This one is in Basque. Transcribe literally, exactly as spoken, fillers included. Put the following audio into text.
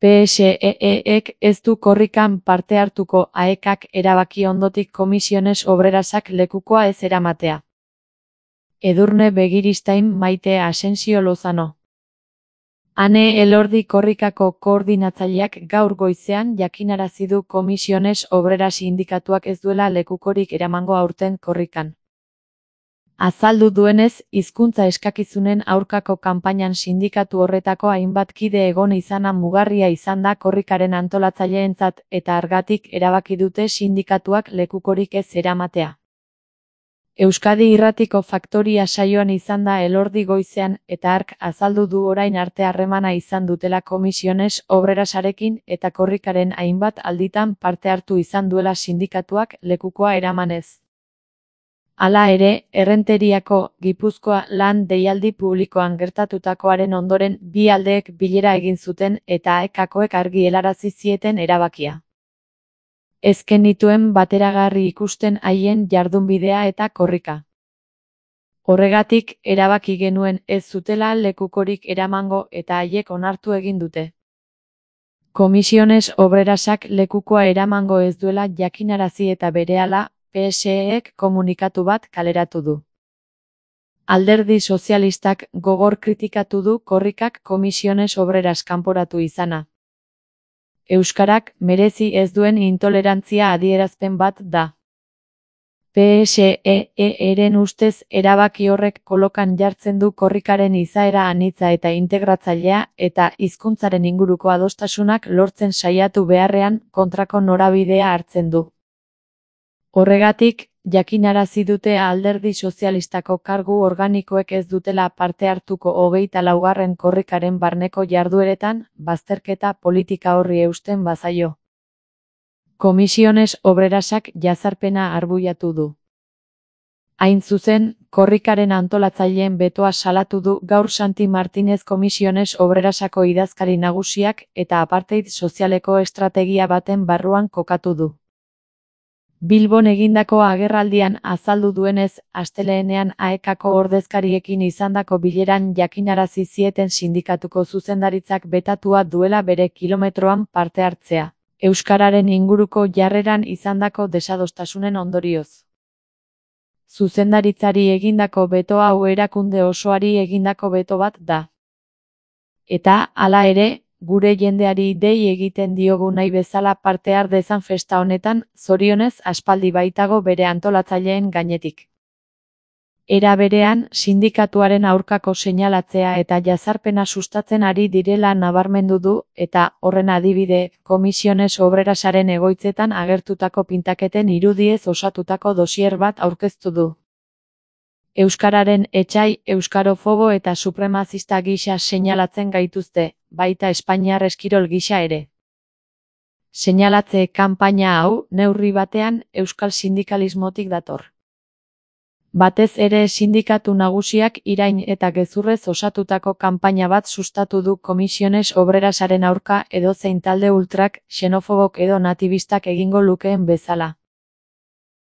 P S E E-ek ez du korrikan parte hartuko aekak erabaki ondotik Comisiones Obrerasak lekukoa ez eramatea. Edurne Begiristain Maite Asensio Lozano. Ane Elordi korrikako koordinatzaileak gaur goizean jakinarazi du Comisiones Obreras sindikatuak ez duela lekukorik eramango aurten korrikan. Azaldu duenez, hizkuntza eskakizunen aurkako kanpainan sindikatu horretako hainbat kide egon izana mugarria izan da korrikaren antolatzaileentzat eta hargatik erabaki dute sindikatuak lekukorik ez eramatea. Euskadi Irratiko Faktoria saioan izan da Elordi goizean eta hark azaldu du orain arte harremana izan dutela Comisiones Obrerasarekin eta korrikaren hainbat alditan parte hartu izan duela sindikatuak lekukoa eramanez. Hala ere, Errenteriako Gipuzkoa lan deialdi publikoan gertatutakoaren ondoren bi aldeek bilera egin zuten eta aekakoek argi helarazi zieten erabakia. Ez genituen bateragarri ikusten haien jardunbidea eta korrika. Horregatik, erabaki genuen ez zutela lekukorik eramango eta haiek onartu egin dute. Comisiones Obrerasak lekukoa eramango ez duela jakinarazi eta berehala, P S E-ek komunikatu bat kaleratu du. Alderdi Sozialistak gogor kritikatu du korrikak Comisiones Obreras kanporatu izana. Euskarak merezi ez duen intolerantzia adierazpen bat da. P S E-eren ustez erabaki horrek kolokan jartzen du korrikaren izaera anitza eta integratzailea eta hizkuntzaren inguruko adostasunak lortzen saiatu beharrean kontrako norabidea hartzen du. Horregatik, jakinarazi dute Alderdi Sozialistako kargu organikoek ez dutela parte hartuko hogeita laugarren korrikaren barneko jardueretan, bazterketa politika horri eusten bazaio. Comisiones Obrerasak jazarpena arbuiatu du. Hain zuzen, korrikaren antolatzaileen betoa salatu du gaur Santi Martinez Comisiones Obrerasako idazkari nagusiak eta apartheid sozialeko estrategia baten barruan kokatu du. Bilbon egindako agerraldian azaldu duenez, asteleenean aekako ordezkariekin izandako bileran jakinarazi zieten sindikatuko zuzendaritzak betatua duela bere kilometroan parte hartzea, euskararen inguruko jarreran izandako desadostasunen ondorioz. Zuzendaritzari egindako beto hau erakunde osoari egindako beto bat da. Eta, hala ere, gure jendeari dei egiten diogu nahi bezala parte har dezan festa honetan, zorionez aspaldi baitago bere antolatzaileen gainetik. Era berean, sindikatuaren aurkako seinalatzea eta jazarpena sustatzen ari direla nabarmendu du eta, horren adibide, Comisiones Obrerasaren egoitzetan agertutako pintaketen irudiez osatutako dosier bat aurkeztu du. Euskararen etsai, euskarofobo eta supremazista gisa seinalatzen gaituzte, baita Espainiar eskirol gisa ere. Seinalatze kanpaina hau, neurri batean, euskal sindikalismotik dator. Batez ere sindikatu nagusiak irain eta gezurrez osatutako kanpaina bat sustatu du Comisiones Obrerasaren aurka edozein talde ultrak, xenofobok edo natibistak egingo lukeen bezala.